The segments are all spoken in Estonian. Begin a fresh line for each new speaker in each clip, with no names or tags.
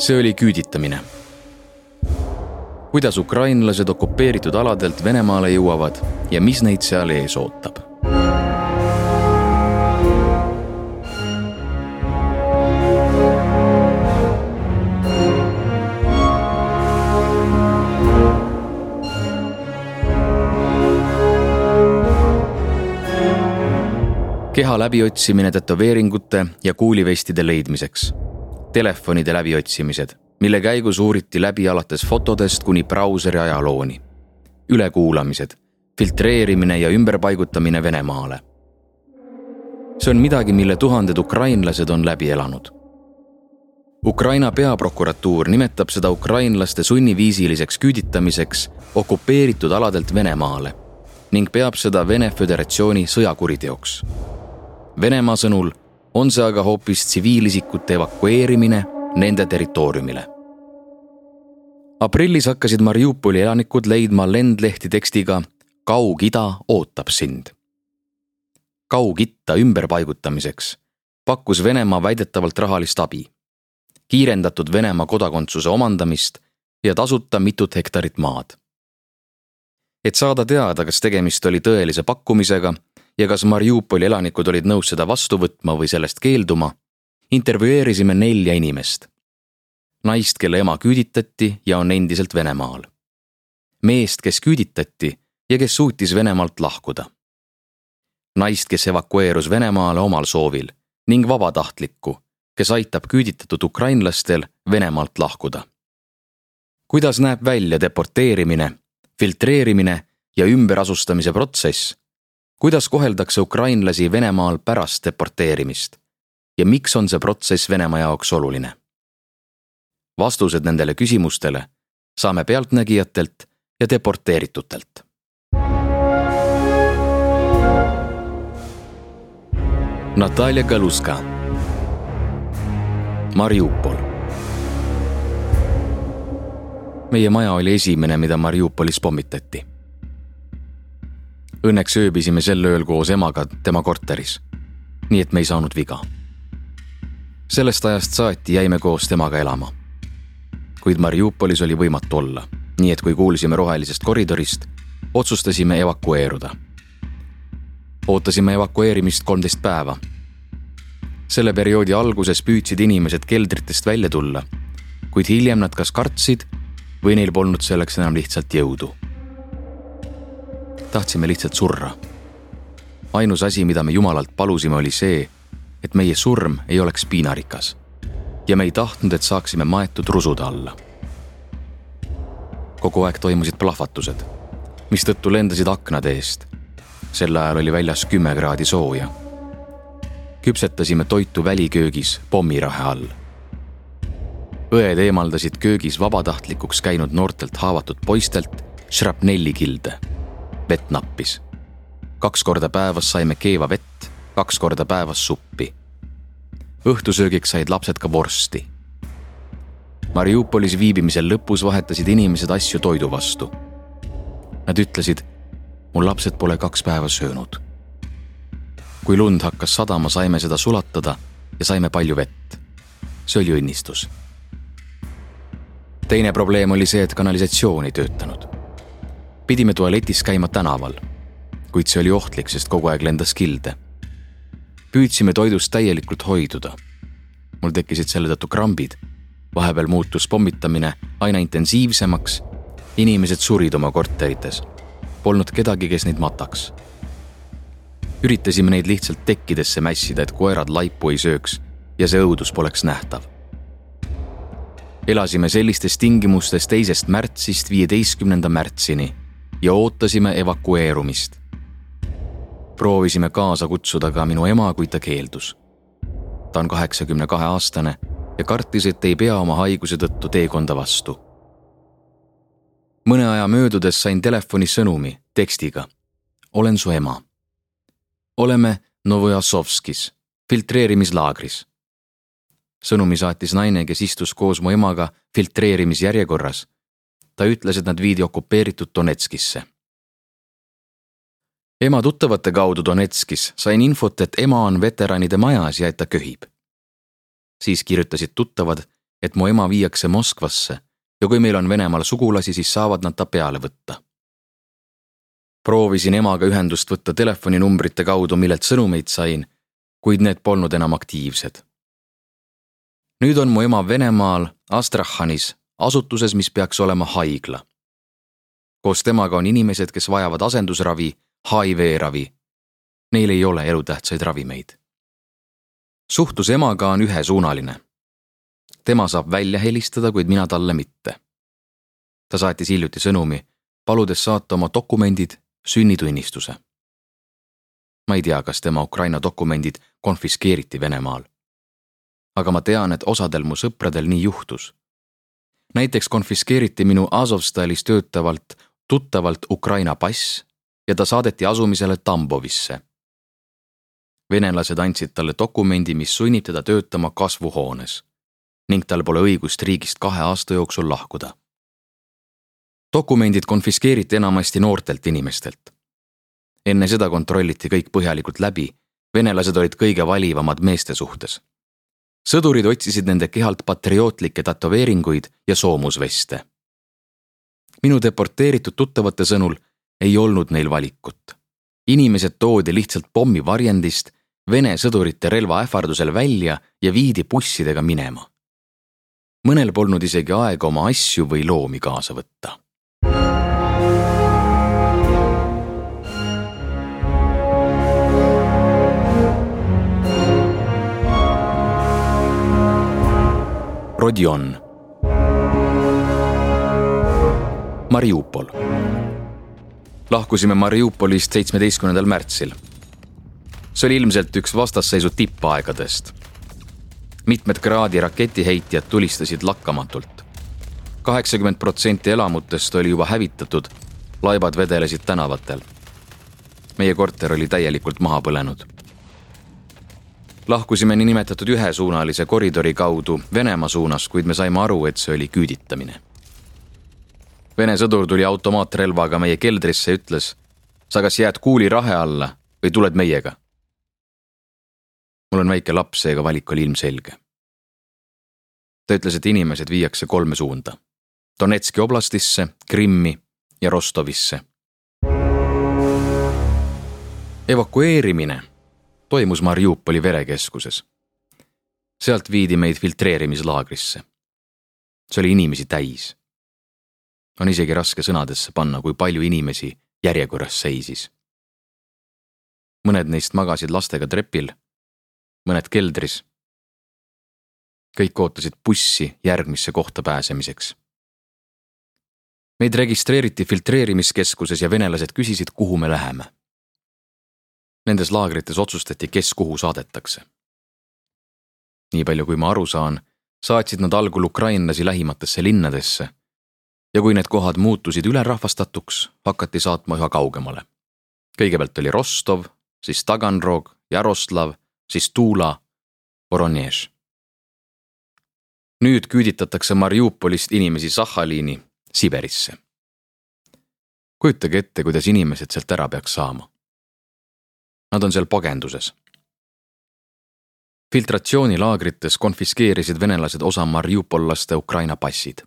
See oli küüditamine. Kuidas ukrainlased okupeeritud aladelt Venemaale jõuavad ja mis neid seal ees ootab. Keha läbiotsimine tätoveeringute ja kuulivestide leidmiseks. Telefonide läbiotsimised, mille käigus uuriti läbi alates fotodest kuni brauseri ajalooni. Ülekuulamised, filtreerimine ja ümberpaigutamine Venemaale. See on midagi, mille tuhanded ukrainlased on läbi elanud. Ukraina peaprokuratuur nimetab seda ukrainlaste sunniviisiliseks küüditamiseks okupeeritud aladelt Venemaale ning peab seda Vene Föderatsiooni sõjakuriteoks. Venemaa sõnul on see aga hoopis tsiviilisikute evakueerimine nende territooriumile. Aprillis hakkasid Mariupoli elanikud leidma lendlehti tekstiga Kaug-Ida ootab sind. Kaug-Itta ümberpaigutamiseks pakkus Venemaa väidetavalt rahalist abi, kiirendatud Venemaa kodakondsuse omandamist ja tasuta mitut hektarit maad. Et saada teada, kas tegemist oli tõelise pakkumisega ja kas Mariupoli elanikud olid nõus seda vastu võtma või sellest keelduma, intervjueerisime 4 inimest. Naist, kelle ema küüditati ja on endiselt Venemaal. Meest, kes küüditati ja kes suutis Venemaalt lahkuda. Naist, kes evakueerus Venemaale omal soovil ning vabatahtlikku, kes aitab küüditatud ukrainlastel Venemaalt lahkuda. Kuidas näeb välja deporteerimine, filtreerimine ja ümberasustamise protsess? Kuidas koheldakse ukrainlasi Venemaal pärast deporteerimist ja miks on see protsess Venemaa jaoks oluline? Vastused nendele küsimustele saame pealtnägijatelt ja deporteeritutelt. Natalja Galuska, Mariupol. Meie maja oli esimene, mida Mariupolis pommitati. Õnneks ööbisime sel ööl koos emaga tema korteris, nii et me ei saanud viga. Sellest ajast saati jäime koos temaga elama. Kuid Mariupolis oli võimatu olla, nii et kui kuulsime rohelisest koridorist, otsustasime evakueeruda. Ootasime evakueerimist 13 päeva. Selle perioodi alguses püüdsid inimesed keldritest välja tulla, kuid hiljem nad kas kartsid või neil polnud selleks enam lihtsalt jõudu. Tahtsime lihtsalt surra. Ainus asi, mida me Jumalalt palusime, oli see, et meie surm ei oleks piinarikas ja me ei tahtnud, et saaksime maetud rusude alla. Kogu aeg toimusid plahvatused, mistõttu lendasid aknade eest. Sel ajal oli väljas 10 kraadi sooja. Küpsetasime toitu väliköögis pommirahe all. Õed eemaldasid köögis vabatahtlikuks käinud noortelt haavatud poistelt shrapnellikilde. Vett nappis. 2 korda päevas saime keeva vett, 2 korda päevas suppi. Õhtusöögiks said lapsed ka vorsti. Mariupolis viibimisel lõpus vahetasid inimesed asju toidu vastu. Nad ütlesid, mul lapsed pole 2 päeva söönud. Kui lund hakkas sadama, saime seda sulatada ja saime palju vett. See oli õnnistus. Teine probleem oli see, et kanalisatsioon ei töötanud. Pidime tualetis käima tänaval, kuid see oli ohtlik, sest kogu aeg lendas kilde. Püüdsime toidust täielikult hoiduda. Mul tekkisid selle tõttu krambid. Vahepeal muutus pommitamine aina intensiivsemaks. Inimesed surid oma korterites. Polnud kedagi, kes neid mataks. Üritasime neid lihtsalt tekkidesse mässida, et koerad laipu ei sööks ja see õudus poleks nähtav. Elasime sellistes tingimustes 2. märtsist 15. märtsini ja ootasime evakueerumist. Proovisime kaasa kutsuda ka minu ema, kui ta keeldus. Ta on 82-aastane ja kartis, et ei pea oma haiguse tõttu teekonda vastu. Mõne aja möödudes sain telefoni sõnumi tekstiga. Olen su ema. Oleme Novojasovskis, filtreerimislaagris. Sõnumi saatis naine, kes istus koos mu emaga filtreerimisjärjekorras. Ta ütles, et nad viidi okupeeritud Donetskisse. Ema tuttavate kaudu Donetskis sain infot, et ema on veteranide majas ja et ta köhib. Siis kirjutasid tuttavad, et mu ema viiakse Moskvasse ja kui meil on Venemaal sugulasi, siis saavad nad ta peale võtta. Proovisin emaga ühendust võtta telefoninumbrite kaudu, millelt sõnumeid sain, kuid need polnud enam aktiivsed. Nüüd on mu ema Venemaal Astrahanis, asutuses, mis peaks olema haigla. Koos temaga on inimesed, kes vajavad asendusravi, HIV-ravi. Neil ei ole elutähtsaid ravimeid. Suhtlus emaga on ühesuunaline. Tema saab välja helistada, kuid mina talle mitte. Ta saatis hiljuti sõnumi, paludes saata oma dokumendid, sünnitunnistuse. Ma ei tea, kas tema Ukraina dokumendid konfiskeeriti Venemaal. Aga ma tean, et osadel mu sõpradel nii juhtus. Näiteks konfiskeeriti minu Azovstalis töötavalt tuttavalt Ukraina pass ja ta saadeti asumisele Tambovisse. Venelased andsid talle dokumendi, mis sunnib teda töötama kasvuhoones ning tal pole õigust riigist 2 aasta jooksul lahkuda. Dokumendid konfiskeeriti enamasti noortelt inimestelt. Enne seda kontrolliti kõik põhjalikult läbi, venelased olid kõige valivamad meeste suhtes. Sõdurid otsisid nende kehalt patriootlikke tätoveeringuid ja soomusveste. Minu deporteeritud tuttavate sõnul ei olnud neil valikut. Inimesed toodi lihtsalt pommivarjendist Vene sõdurite relva ähvardusel välja ja viidi bussidega minema. Mõnel polnud isegi aega oma asju või loomi kaasa võtta. Rodion. Mariupol. Lahkusime Mariupolist 17. märtsil. See oli ilmselt üks vastasseisu tippaegadest. Mitmed kraadi raketiheitjad tulistasid lakkamatult. 80% elamutest oli juba hävitatud, laibad vedelesid tänavatel. Meie korter oli täielikult maha põlenud. Lahkusime nimetatud ühesuunalise koridori kaudu Venemaa suunas, kuid me saime aru, et see oli küüditamine. Vene sõdur tuli automaatrelvaga meie keldrisse ja ütles, sa kas jääd kuuli rahe alla või tuled meiega. Mul on väike laps, seega valik oli ilmselge. Ta ütles, et inimesed viiakse 3 suunda. Donetski oblastisse, Krimmi ja Rostovisse. Evakueerimine toimus Mariupoli verekeskuses. Sealt viidi meid filtreerimislaagrisse. See oli inimesi täis. On isegi raske sõnadesse panna, kui palju inimesi järjekorras seisis. Mõned neist magasid lastega trepil, mõned keldris. Kõik ootasid bussi järgmisse kohta pääsemiseks. Meid registreeriti filtreerimiskeskuses ja venelased küsisid, kuhu me läheme. Nendes laagrites otsustati, kes kuhu saadetakse. Nii palju kui ma aru saan, saatsid nad algul ukrainlasi lähimatesse linnadesse ja kui need kohad muutusid ülerahvastatuks, hakati saatma üha kaugemale. Kõigepealt oli Rostov, siis Taganrog, Jaroslav, siis Tula, Voronezh. Nüüd küüditatakse Mariupolist inimesi Sahhaliini, Siberisse. Kujutage ette, kuidas inimesed sealt ära peaks saama. Nad on seal pagenduses. Filtratsioonilaagrites konfiskeerisid venelased osa mariupollaste Ukraina passid.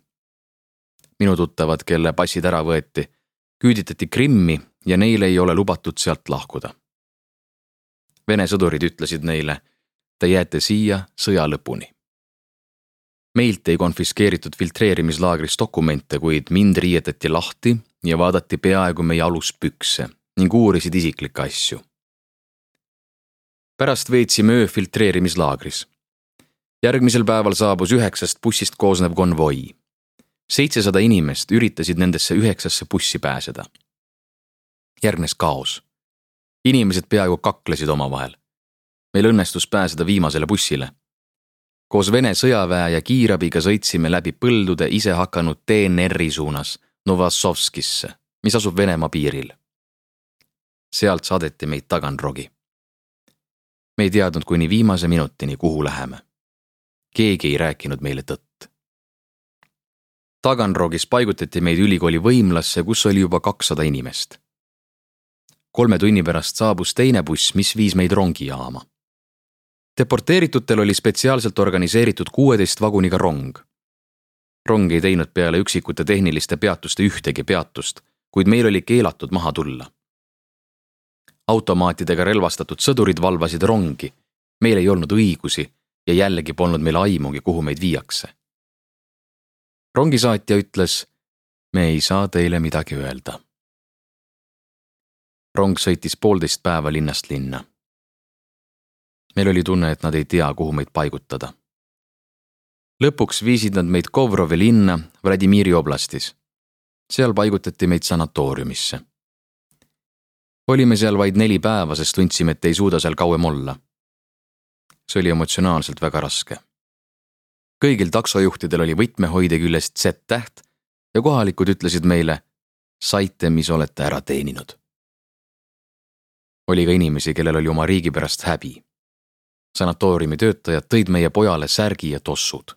Minu tuttavad, kelle passid ära võeti, küüditati Krimmi ja neile ei ole lubatud sealt lahkuda. Vene sõdurid ütlesid neile, te jääte siia sõja lõpuni. Meilt ei konfiskeeritud filtreerimislaagris dokumente, kuid mind riietati lahti ja vaadati peaaegu meie aluspükse ning uurisid isiklikke asju. Pärast veetsime öö filtreerimislaagris. Järgmisel päeval saabus 9 bussist koosnev konvoi. 700 inimest üritasid nendesse 9 bussi pääseda. Järgnes kaos. Inimesed peaaegu kaklesid omavahel. Meil õnnestus pääseda viimasele bussile. Koos Vene sõjaväe ja kiirabiga sõitsime läbi põldude ise hakanud DNR-i suunas Novassovskisse, mis asub Venemaa piiril. Sealt saadeti meid Taganrogi. Me ei teadnud kuni viimase minutini, kuhu läheme. Keegi ei rääkinud meile tõtt. Taganrogis paigutati meid ülikooli võimlasse, kus oli juba 200 inimest. 3 tunni pärast saabus teine buss, mis viis meid rongijaama. Deporteeritutel oli spetsiaalselt organiseeritud 16 vaguniga rong. Rong ei teinud peale üksikute tehniliste peatuste ühtegi peatust, kuid meil oli keelatud maha tulla. Automaatidega relvastatud sõdurid valvasid rongi, meil ei olnud õigusi ja jällegi polnud meil aimugi, kuhu meid viiakse. Rongisaatja ütles, me ei saa teile midagi öelda. Rong sõitis 1,5 päeva linnast linna. Meil oli tunne, et nad ei tea, kuhu meid paigutada. Lõpuks viisid nad meid Kovrovi linna Vladimiri oblastis. Seal paigutati meid sanatooriumisse. Olime seal vaid 4 päeva, sest tundsime, et ei suuda seal kauem olla. See oli emotsionaalselt väga raske. Kõigil taksojuhtidel oli võtmehoide küljest Z-täht ja kohalikud ütlesid meile, saite, mis olete ära teeninud. Oli ka inimesi, kellel oli oma riigi pärast häbi. Sanatooriumi töötajad tõid meie pojale särgi ja tossud.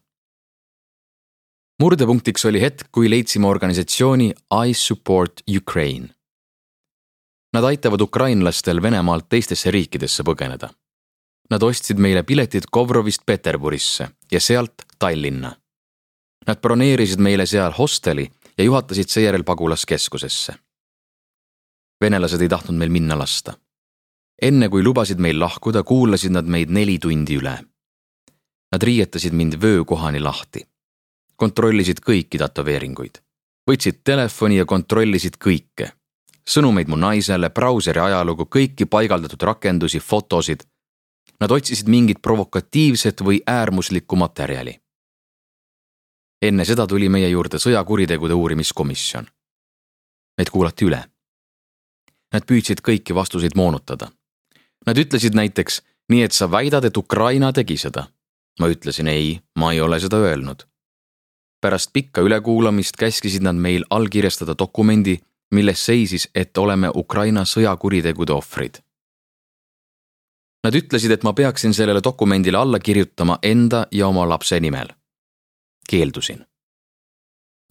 Murdepunktiks oli hetk, kui leidsime organisatsiooni I Support Ukraine. Nad aitavad ukrainlastel Venemaalt teistesse riikidesse põgeneda. Nad ostsid meile piletid Kovrovist Peterburisse ja sealt Tallinna. Nad broneerisid meile seal hosteli ja juhatasid seejärel pagulaskeskusesse. Venelased ei tahtnud meil minna lasta. Enne kui lubasid meil lahkuda, kuulasid nad meid 4 tundi üle. Nad riietasid mind vöökohani lahti. Kontrollisid kõiki tätoveeringuid. Võtsid telefoni ja kontrollisid kõike. Sõnumeid mu naisele, brauseri ajalugu, kõiki paigaldatud rakendusi, fotosid. Nad otsisid mingit provokatiivset või äärmuslikku materjali. Enne seda tuli meie juurde sõjakuritegude uurimiskomisjon. Meid kuulati üle. Nad püüdsid kõiki vastuseid moonutada. Nad ütlesid näiteks, nii et sa väidad, et Ukraina tegi seda. Ma ütlesin ei, ma ei ole seda öelnud. Pärast pikka ülekuulamist käskisid nad meil allkirjastada dokumendi, milles seisis, et oleme Ukraina sõjakuritegude ohvrid. Nad ütlesid, et ma peaksin sellele dokumendile alla kirjutama enda ja oma lapse nimel. Keeldusin.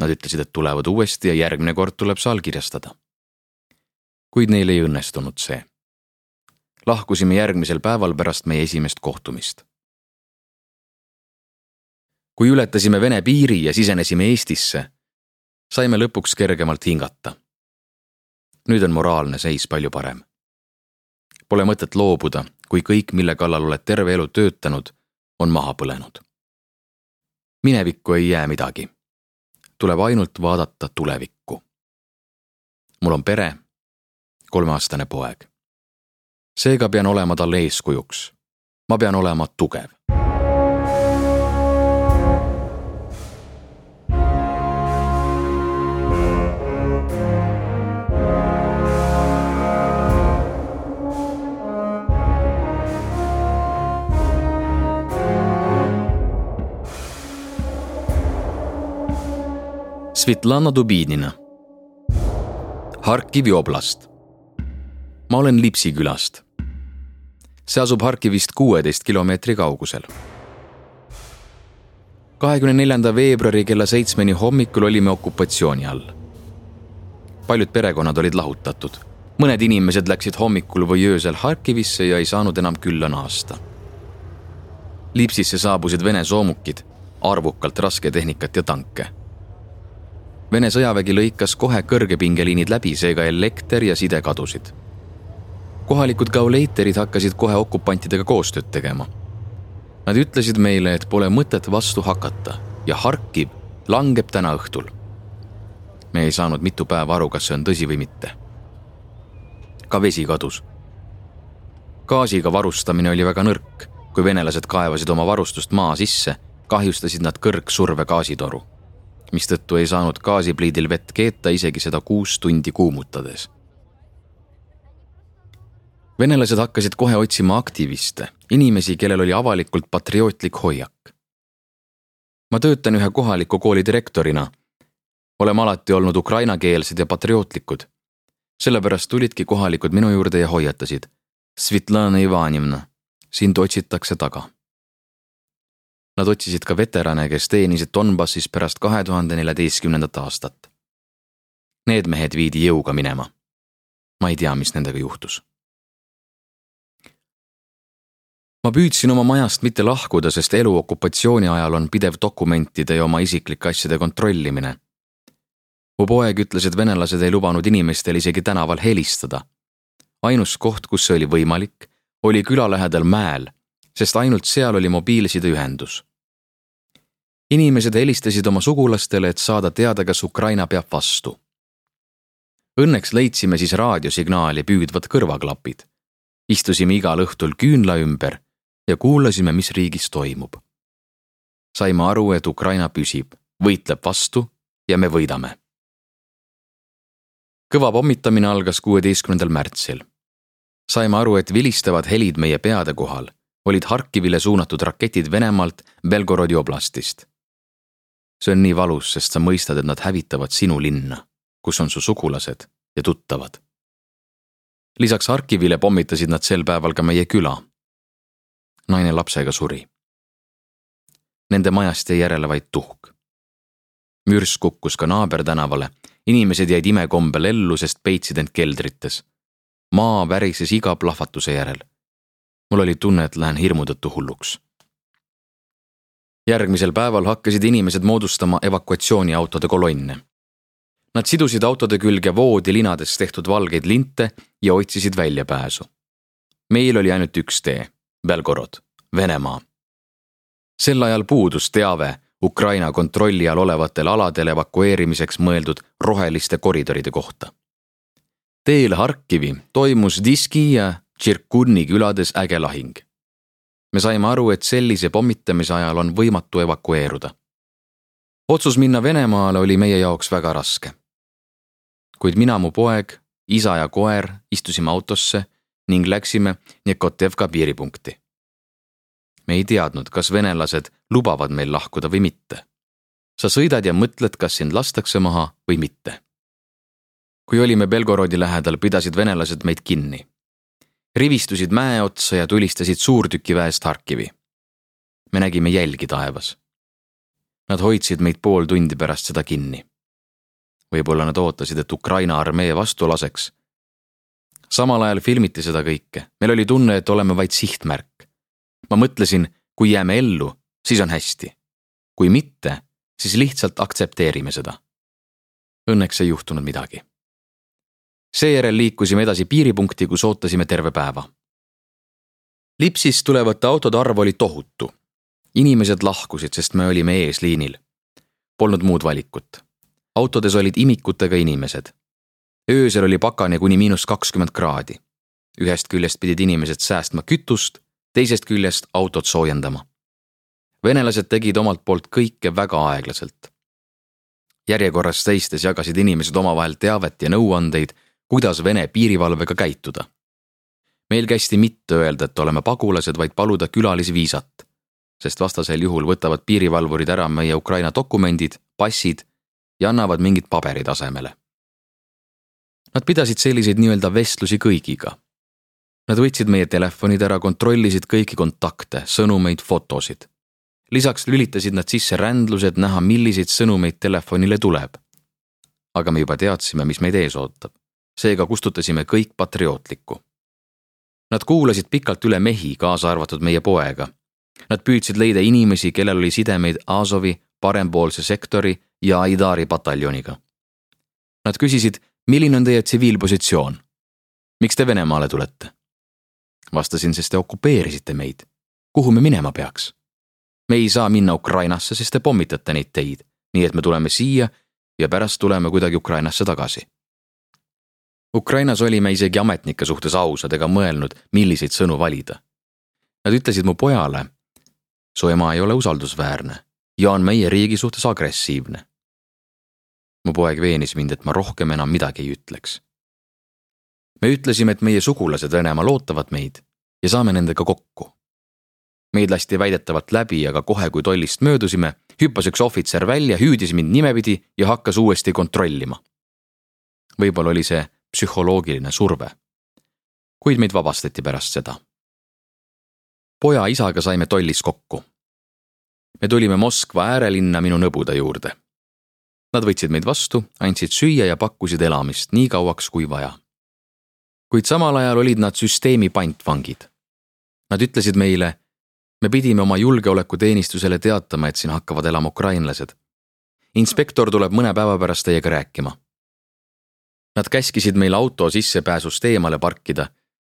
Nad ütlesid, et tulevad uuesti ja järgmine kord tuleb see allkirjastada. Kuid neil ei õnnestunud see. Lahkusime järgmisel päeval pärast meie esimest kohtumist. Kui ületasime Vene piiri ja sisenesime Eestisse, saime lõpuks kergemalt hingata. Nüüd on moraalne seis palju parem. Pole mõtet loobuda, kui kõik, mille kallal oled terve elu töötanud, on maha põlenud. Minevikku ei jää midagi. Tuleb ainult vaadata tulevikku. Mul on pere, 3-aastane poeg. Seega pean olema talle eeskujuks. Ma pean olema tugev. Svetlana Dubinina. Harkivi oblast. Ma olen Lipsi külast. See asub Harkivist 16 kilomeetri kaugusel. 24. veebruari kella 7 hommikul olime okupatsiooni all. Paljud perekonnad olid lahutatud. Mõned inimesed läksid hommikul või öösel Harkivisse ja ei saanud enam külla naasta. Lipsisse saabusid Vene soomukid, arvukalt rasketehnikat ja tanke. Vene sõjavägi lõikas kohe kõrgepingeliinid läbi, seega elekter ja side kadusid. Kohalikud gauleiterid hakkasid kohe okupantidega koostööd tegema. Nad ütlesid meile, et pole mõtet vastu hakata ja Harkiv langeb täna õhtul. Me ei saanud mitu päeva aru, kas see on tõsi või mitte. Ka vesi kadus. Gaasiga varustamine oli väga nõrk. Kui venelased kaevasid oma varustust maa sisse, kahjustasid nad kõrgsurve gaasitoru, mistõttu ei saanud gaasipliidil vett keeta isegi seda 6 tundi kuumutades. Venelased hakkasid kohe otsima aktiviste, inimesi, kellel oli avalikult patriootlik hoiak. Ma töötan ühe kohaliku kooli direktorina. Oleme alati olnud ukrainakeelsed ja patriootlikud. Sellepärast tulidki kohalikud minu juurde ja hoiatasid. Svetlana Ivanivna, sind otsitakse taga. Nad otsisid ka veterane, kes teenisid Donbassis pärast 2014. aastat. Need mehed viidi jõuga minema. Ma ei tea, mis nendega juhtus. ma püüdsin oma majast mitte lahkuda, sest elu okupatsiooni ajal on pidev dokumentide ja oma isiklike asjade kontrollimine. Mu poeg ütles, et venelased ei lubanud inimestel isegi tänaval helistada. Ainus koht, kus see oli võimalik, oli küla lähedal mäel, sest ainult seal oli mobiilsideühendus. Inimesed helistasid oma sugulastele, et saada teada, kas Ukraina peab vastu. Õnneks leidsime siis raadiosignaali püüdvad kõrvaklapid. Istusime igal õhtul küünla ümber ja kuulasime, mis riigis toimub. Saime aru, et Ukraina püsib, võitleb vastu ja me võidame. Kõva pommitamine algas 16. märtsil. Saime aru, et vilistavad helid meie peade kohal olid Harkivile suunatud raketid Venemaalt Belgorodi oblastist. See on nii valus, sest sa mõistad, et nad hävitavad sinu linna, kus on su sugulased ja tuttavad. Lisaks Harkivile pommitasid nad sel päeval ka meie küla. Naine lapsega suri. Nende majast jäi järele vaid tuhk. Mürs kukkus ka naabertänavale, inimesed jäid imekombel ellu, sest peitsid end keldrites. Maa värises iga plahvatuse järel. Mul oli tunne, et lähen hirmu tõttu hulluks. Järgmisel päeval hakkasid inimesed moodustama evakuatsiooniautode kolonne. Nad sidusid autode külge voodilinades tehtud valgeid linte ja otsisid väljapääsu. Meil oli ainult üks tee, Belgorod, Venemaa. Sel ajal puudus teave Ukraina kontrolli all olevatel aladel evakueerimiseks mõeldud roheliste koridoride kohta. Teel Harkivi toimus Diski ja Tširkunni külades äge lahing. Me saime aru, et sellise pommitamise ajal on võimatu evakueeruda. Otsus minna Venemaale oli meie jaoks väga raske. Kuid mina, mu poeg, isa ja koer istusime autosse ning läksime Nekotevka piiripunkti. Me ei teadnud, kas venelased lubavad meil lahkuda või mitte. Sa sõidad ja mõtled, kas sind lastakse maha või mitte. Kui olime Belgorodi lähedal, pidasid venelased meid kinni. Rivistusid mäe otsa ja tulistasid suurtükiväest Harkivi. Me nägime jälgi taevas. Nad hoidsid meid pool tundi pärast seda kinni. Võib-olla nad ootasid, et Ukraina armee vastu laseks. Samal ajal filmiti seda kõike. Meil oli tunne, et oleme vaid sihtmärk. Ma mõtlesin, kui jääme ellu, siis on hästi. Kui mitte, siis lihtsalt aktsepteerime seda. Õnneks ei juhtunud midagi. Seejärel liikusime edasi piiripunkti, kus ootasime terve päeva. Lipsist tulevate autode arv oli tohutu. Inimesed lahkusid, sest me olime eesliinil. Polnud muud valikut. Autodes olid imikutega inimesed. Öösel oli pakane kuni -20 kraadi. Ühest küljest pidid inimesed säästma kütust, teisest küljest autot soojendama. Venelased tegid omalt poolt kõike väga aeglaselt. Järjekorras seistes jagasid inimesed omavahel teavet ja nõuandeid, kuidas Vene piirivalvega käituda. Meil kästi mitte öelda, et oleme pagulased, vaid paluda külalisviisat, sest vastasel juhul võtavad piirivalvurid ära meie Ukraina dokumendid, passid ja annavad mingid paberid asemele. Nad pidasid selliseid nii-öelda vestlusi kõigiga. Nad võtsid meie telefonid ära, kontrollisid kõiki kontakte, sõnumeid, fotosid. Lisaks lülitasid nad sisse rändlused näha, milliseid sõnumeid telefonile tuleb. Aga me juba teadsime, mis meid ees ootab. Seega kustutasime kõik patriootlikku. Nad kuulasid pikalt üle mehi, kaasa arvatud meie poega. Nad püüdsid leida inimesi, kellel oli sidemeid Azovi, parempoolse sektori ja Aidari pataljoniga. Nad küsisid, milline on teie tsiviilpositsioon? Miks te Venemaale tulete? Vastasin, sest te okupeerisite meid. Kuhu me minema peaks? Me ei saa minna Ukrainasse, sest te pommitate neid teid, nii et me tuleme siia ja pärast tuleme kuidagi Ukrainasse tagasi. Ukrainas olime isegi ametnike suhtes ausad ega mõelnud, milliseid sõnu valida. Nad ütlesid mu pojale, su ema ei ole usaldusväärne ja on meie riigi suhtes agressiivne. Mu poeg veenis mind, et ma rohkem enam midagi ei ütleks. Me ütlesime, et meie sugulased Venemaal ootavad meid ja saame nendega kokku. Meid lasti väidetavalt läbi, aga kohe kui tollist möödusime, hüppas üks ohvitser välja, hüüdis mind nimepidi ja hakkas uuesti kontrollima. Võib-olla oli see psühholoogiline surve, kuid meid vabastati pärast seda. Poja isaga saime tollis kokku. Me tulime Moskva äärelinna minu nõbuda juurde. Nad võtsid meid vastu, andsid süüa ja pakkusid elamist nii kauaks kui vaja. Kuid samal ajal olid nad süsteemi pantvangid. Nad ütlesid meile, me pidime oma julgeolekuteenistusele teatama, et siin hakkavad elama ukrainlased. Inspektor tuleb mõne päeva pärast teiega rääkima. Nad käskisid meil auto sissepääsust eemale parkida,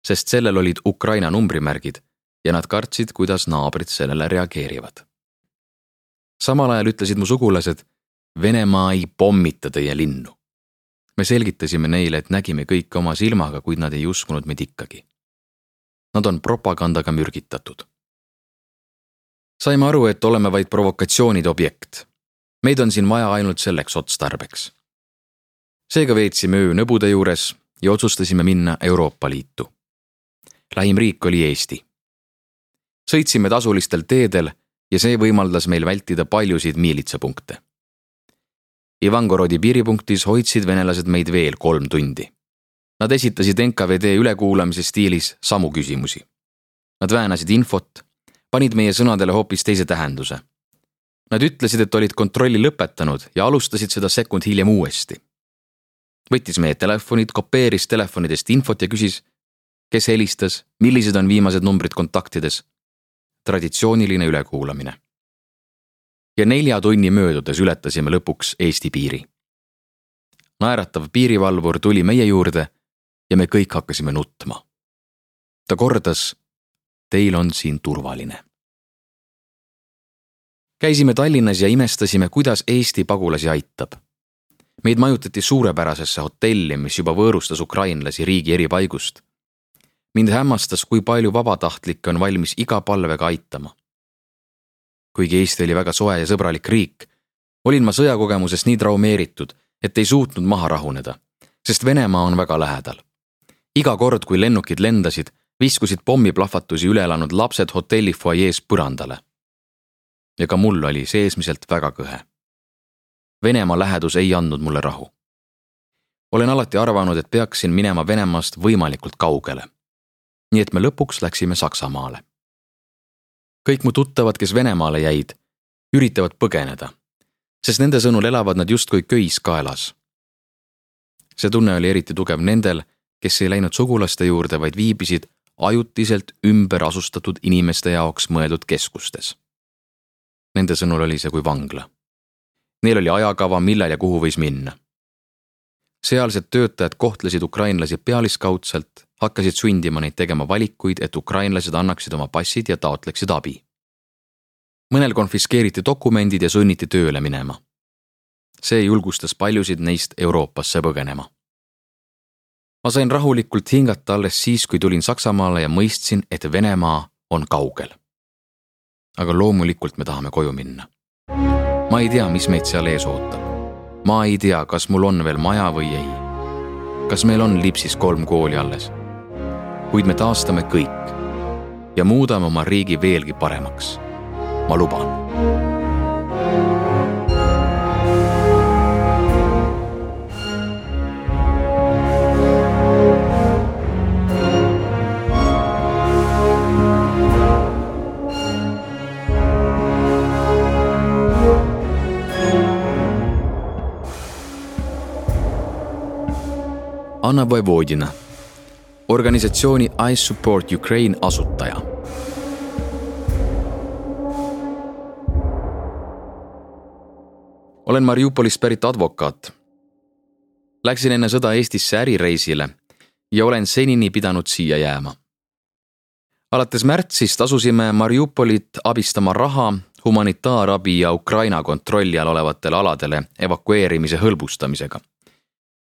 sest sellel olid Ukraina numbrimärgid ja nad kartsid, kuidas naabrid sellele reageerivad. Samal ajal ütlesid mu sugulased, Venemaa ei pommita teie linnu. Me selgitasime neile, et nägime kõike oma silmaga, kuid nad ei uskunud meid ikkagi. Nad on propagandaga mürgitatud. Saime aru, et oleme vaid provokatsioonide objekt. Meid on siin vaja ainult selleks otstarbeks. Seega veetsime öö nõbude juures ja otsustasime minna Euroopa Liitu. Lähim riik oli Eesti. Sõitsime tasulistel teedel ja see võimaldas meil vältida paljusid miilitsapunkte. Ivangorodi piiripunktis hoidsid venelased meid veel 3 tundi. Nad esitasid NKVD ülekuulamise stiilis samu küsimusi. Nad väänasid infot, panid meie sõnadele hoopis teise tähenduse. Nad ütlesid, et olid kontrolli lõpetanud ja alustasid seda sekund hiljem uuesti. Võttis meie telefonid, kopeeris telefonidest infot ja küsis, kes helistas, millised on viimased numbrid kontaktides. Traditsiooniline ülekuulamine. Ja 4 tunni möödudes ületasime lõpuks Eesti piiri. Naeratav piirivalvur tuli meie juurde ja me kõik hakkasime nutma. Ta kordas, teil on siin turvaline. Käisime Tallinnas ja imestasime, kuidas Eesti pagulasi aitab. Meid majutati suurepärasesse hotelli, mis juba võõrustas ukrainlasi riigi eri paigust. Mind hämmastas, kui palju vabatahtlikke on valmis iga palvega aitama. Kuigi Eesti oli väga soe ja sõbralik riik, olin ma sõjakogemusest nii traumeeritud, et ei suutnud maha rahuneda, sest Venemaa on väga lähedal. Iga kord, kui lennukid lendasid, viskusid pommiplahvatusi üle elanud lapsed hotelli foajees põrandale. Ja ka mul oli seesmiselt väga kõhe. Venemaa lähedus ei andnud mulle rahu. Olen alati arvanud, et peaksin minema Venemaast võimalikult kaugele. Nii et me lõpuks läksime Saksamaale. Kõik mu tuttavad, kes Venemaale jäid, üritavad põgeneda, sest nende sõnul elavad nad justkui köis kaelas. See tunne oli eriti tugev nendel, kes ei läinud sugulaste juurde, vaid viibisid ajutiselt ümber asustatud inimeste jaoks mõeldud keskustes. Nende sõnul oli see kui vangla. Neil oli ajakava, millal ja kuhu võis minna. Sealsed töötajad kohtlesid ukrainlasi pealiskaudselt, hakkasid sundima neid tegema valikuid, et ukrainlased annaksid oma passid ja taotleksid abi. Mõnel konfiskeeriti dokumendid ja sunniti tööle minema. See julgustas paljusid neist Euroopasse põgenema. Ma sain rahulikult hingata alles siis, kui tulin Saksamaale ja mõistsin, et Venemaa on kaugel. Aga loomulikult me tahame koju minna. Ma ei tea, mis meid seal ees ootab. Ma ei tea, kas mul on veel maja või ei. Kas meil on Lipsis 3 kooli alles. Kuid me taastame kõik ja muudame oma riigi veelgi paremaks. Ma luban. Anna Vojvodina, organisatsiooni I Support Ukraine asutaja. Olen Mariupolist pärit advokaat. Läksin enne sõda Eestisse ärireisile ja olen senini pidanud siia jääma. Alates märtsist asusime Mariupolit abistama raha, humanitaarabi ja Ukraina kontrolli all olevatele aladele evakueerimise hõlbustamisega.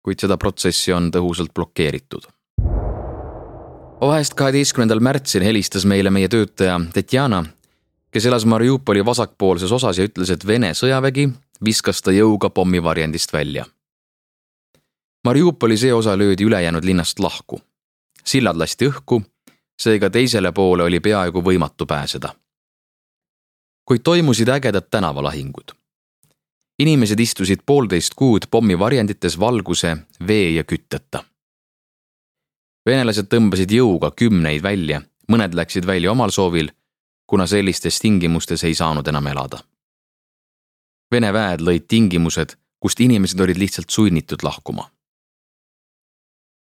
Kuid seda protsessi on tõhusalt blokeeritud. Vahest 12. märtsil helistas meile meie töötaja Tetjana, kes elas Mariupoli vasakpoolses osas ja ütles, et Vene sõjavägi viskas ta jõuga pommivarjendist välja. Mariupoli see osa löödi ülejäänud linnast lahku. Sillad lasti õhku, seega teisele poole oli peaaegu võimatu pääseda. Kuid toimusid ägedad tänavalahingud. Inimesed istusid 1,5 kuud pommivarjendites valguse, vee ja kütteta. Venelased tõmbasid jõuga 10 välja, mõned läksid välja omal soovil, kuna sellistes tingimustes ei saanud enam elada. Vene väed lõid tingimused, kust inimesed olid lihtsalt sunnitud lahkuma.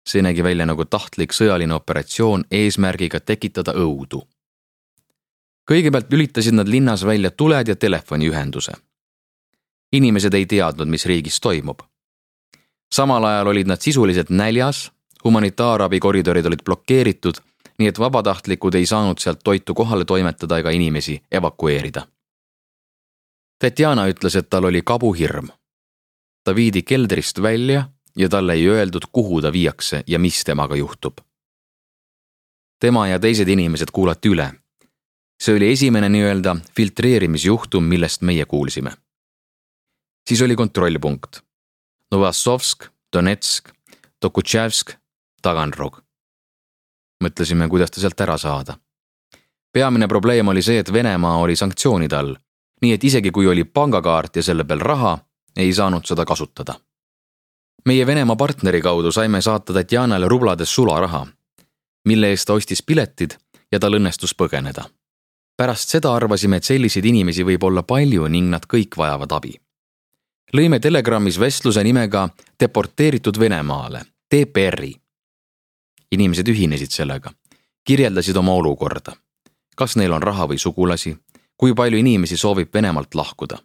See nägi välja nagu tahtlik sõjaline operatsioon eesmärgiga tekitada õudu. Kõigepealt lülitasid nad linnas välja tuled ja telefoniühenduse. Inimesed ei teadnud, mis riigis toimub. Samal ajal olid nad sisuliselt näljas, humanitaarabikoridorid olid blokeeritud, nii et vabatahtlikud ei saanud sealt toitu kohale toimetada ega inimesi evakueerida. Tatjana ütles, et tal oli kabuhirm. Ta viidi keldrist välja ja talle ei öeldud, kuhu ta viiakse ja mis temaga juhtub. Tema ja teised inimesed kuulati üle. See oli esimene nii-öelda filtreerimisjuhtum, millest meie kuulsime. Siis oli kontrollpunkt. Novossovsk, Donetsk, Tokutševsk, Taganrog. Mõtlesime, kuidas ta sealt ära saada. Peamine probleem oli see, et Venemaa oli sanktsioonide all, nii et isegi kui oli pangakaart ja selle peal raha, ei saanud seda kasutada. Meie Venemaa partneri kaudu saime saata Tatjanale rublades sularaha, mille eest ta ostis piletid ja tal õnnestus põgeneda. Pärast seda arvasime, et selliseid inimesi võib olla palju ning nad kõik vajavad abi. Lõime Telegramis vestluse nimega Deporteeritud Venemaale, TPR-i. Inimesed ühinesid sellega, kirjeldasid oma olukorda. Kas neil on raha või sugulasi, kui palju inimesi soovib Venemaalt lahkuda.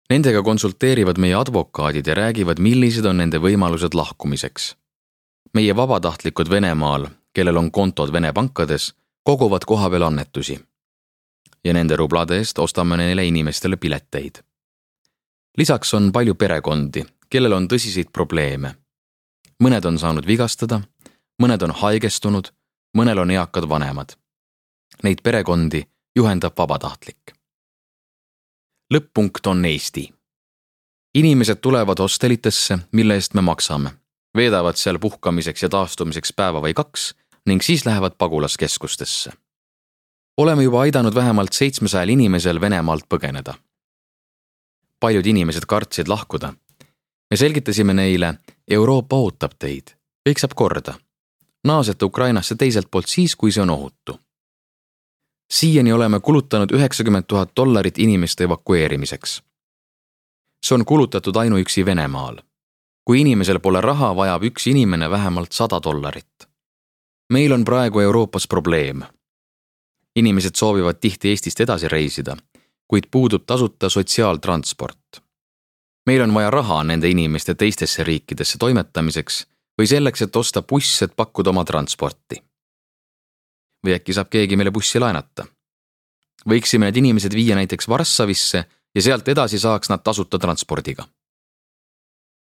Nendega konsulteerivad meie advokaadid ja räägivad, millised on nende võimalused lahkumiseks. Meie vabatahtlikud Venemaal, kellel on kontod Vene pankades, koguvad kohapeal annetusi. Ja nende rublade eest ostame neile inimestele pileteid. Lisaks on palju perekondi, kellel on tõsiseid probleeme. Mõned on saanud vigastada, mõned on haigestunud, mõnel on eakad vanemad. Neid perekondi juhendab vabatahtlik. Lõpp-punkt on Eesti. Inimesed tulevad hostelitesse, mille eest me maksame, veedavad seal puhkamiseks ja taastumiseks päeva või 2 ning siis lähevad pagulaskeskustesse. Oleme juba aidanud vähemalt 700 inimesel Venemaalt põgeneda. Paljud inimesed kartsid lahkuda. Me selgitasime neile, Euroopa ootab teid, kõik saab korda. Naasete Ukrainasse teiselt poolt siis, kui see on ohutu. Siiani oleme kulutanud $90,000 inimeste evakueerimiseks. See on kulutatud ainuüksi Venemaal. Kui inimesel pole raha, vajab üks inimene vähemalt $100. Meil on praegu Euroopas probleem. Inimesed soovivad tihti Eestist edasi reisida, kuid puudub tasuta sotsiaaltransport. Meil on vaja raha nende inimeste teistesse riikidesse toimetamiseks või selleks, et osta buss, et pakkuda oma transporti. Või äkki saab keegi meile bussi laenata. Võiksime need inimesed viia näiteks Varssavisse ja sealt edasi saaks nad tasuta transpordiga.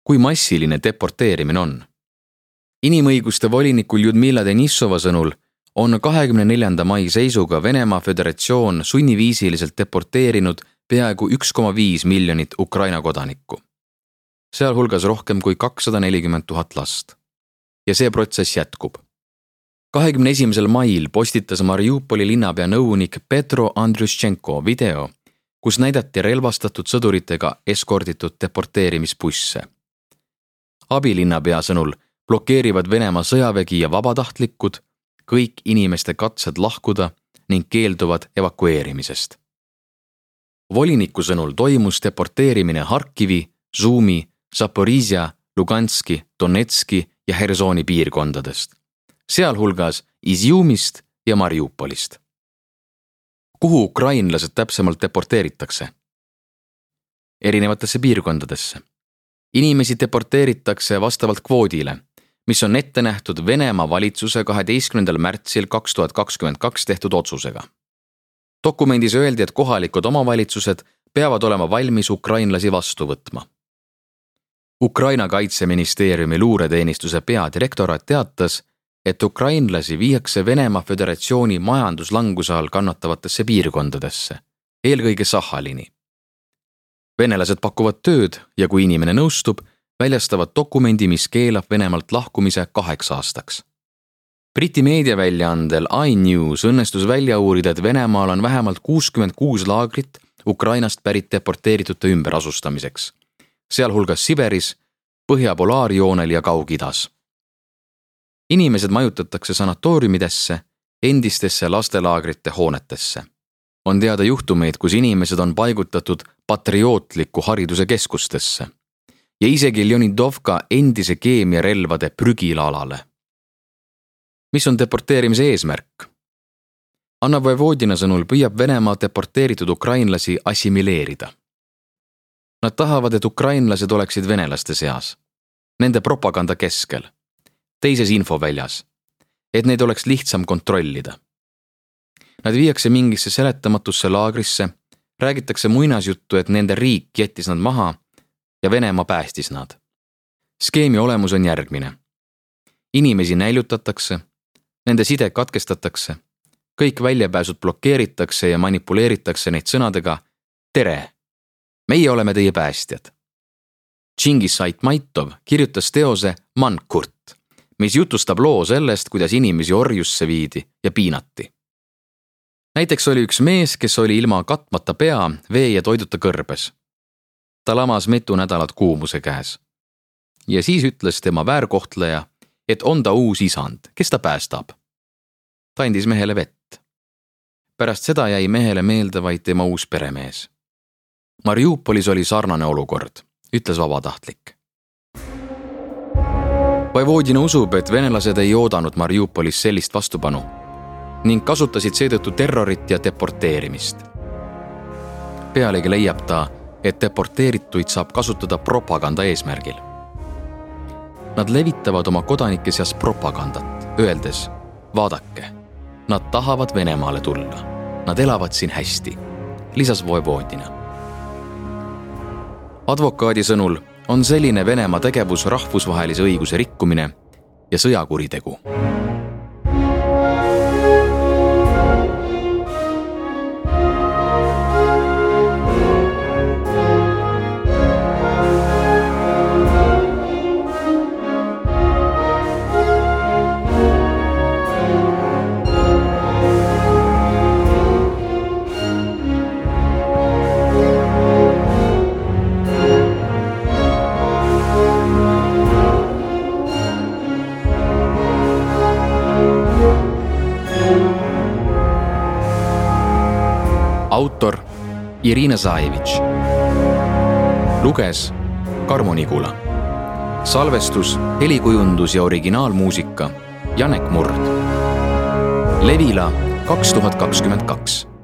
Kui massiline deporteerimine on? Inimõiguste volinikul Ljudmila Denissova sõnul on 24. mai seisuga Venemaa Föderatsioon sunniviisiliselt deporteerinud peaaegu 1,5 miljonit Ukraina kodanikku. Sealhulgas rohkem kui 240 000 last. Ja see protsess jätkub. 21. mail postitas Mariupoli linnapea nõunik Petro Andriuščenko video, kus näidati relvastatud sõduritega eskorditud deporteerimisbusse. Abilinnapea sõnul blokeerivad Venemaa sõjavägi ja vabatahtlikud kõik inimeste katsed lahkuda ning keelduvad evakueerimisest. Voliniku sõnul toimus deporteerimine Harkivi, Sumi, Zaporizhia, Luganski, Donetski ja Hersoni piirkondadest, sealhulgas Izjumist ja Mariupolist. Kuhu ukrainlased täpsemalt deporteeritakse? Erinevatesse piirkondadesse. Inimesi deporteeritakse vastavalt kvoodile, mis on ette nähtud Venemaa valitsuse 12. märtsil 2022 tehtud otsusega. Dokumendis öeldi, et kohalikud omavalitsused peavad olema valmis ukrainlasi vastu võtma. Ukraina kaitseministeeriumi luureteenistuse peadirektorat teatas, et ukrainlasi viiakse Venemaa Föderatsiooni majanduslanguse all kannatavatesse piirkondadesse, eelkõige Sahhalini. Venelased pakuvad tööd ja kui inimene nõustub, väljastavad dokumendi, mis keelab Venemaalt lahkumise 8 aastaks. Briti meediaväljaandel iNews õnnestus välja uurida, et Venemaal on vähemalt 66 laagrit Ukrainast pärit deporteeritute ümberasustamiseks, sealhulgas Siberis, Põhja-Polaarjoonel ja Kaug-Idas. Inimesed majutatakse sanatooriumidesse, endistesse lastelaagrite hoonetesse. On teada juhtumeid, kus inimesed on paigutatud patriootliku hariduse keskustesse ja isegi Leonidovka endise keemiarelvade prügilalale. Mis on deporteerimise eesmärk? Anna Vojvodina sõnul püüab Venemaa deporteeritud ukrainlasi assimileerida. Nad tahavad, et ukrainlased oleksid venelaste seas, nende propaganda keskel, teises infoväljas, et neid oleks lihtsam kontrollida. Nad viiakse mingisse seletamatusse laagrisse, räägitakse muinasjuttu, et nende riik jättis nad maha ja Venemaa päästis nad. Skeemi olemus on järgmine. Inimesi näilutatakse, nende side katkestatakse, kõik väljapääsud blokeeritakse ja manipuleeritakse neid sõnadega tere, meie oleme teie päästjad. Džingis Aitmaitov kirjutas teose Mankurt, mis jutustab loo sellest, kuidas inimesi orjusse viidi ja piinati. Näiteks oli üks mees, kes oli ilma katmata pea, vee ja toiduta kõrbes. Ta lamas mitu nädalat kuumuse käes. Ja siis ütles tema väärkohtleja, et on ta uus isand, kes ta päästab. Ta andis mehele vett. Pärast seda jäi mehele meelde vaid tema uus peremees. Mariupolis oli sarnane olukord, ütles vabatahtlik. Vojvodina usub, et venelased ei oodanud Mariupolis sellist vastupanu ning kasutasid seetõttu terrorit ja deporteerimist. Pealegi leiab ta, et deporteerituid saab kasutada propaganda eesmärgil. Nad levitavad oma kodanike seas propagandat, öeldes, vaadake, nad tahavad Venemaale tulla. Nad elavad siin hästi, lisas Vojvodina. Advokaadi sõnul on selline Venemaa tegevus rahvusvahelise õiguse rikkumine ja sõjakuritegu. Autor Irina Zaevitš. Luges Karmo Nigula. Salvestus, helikujundus ja originaalmuusika Janek Murd. Levila 2022.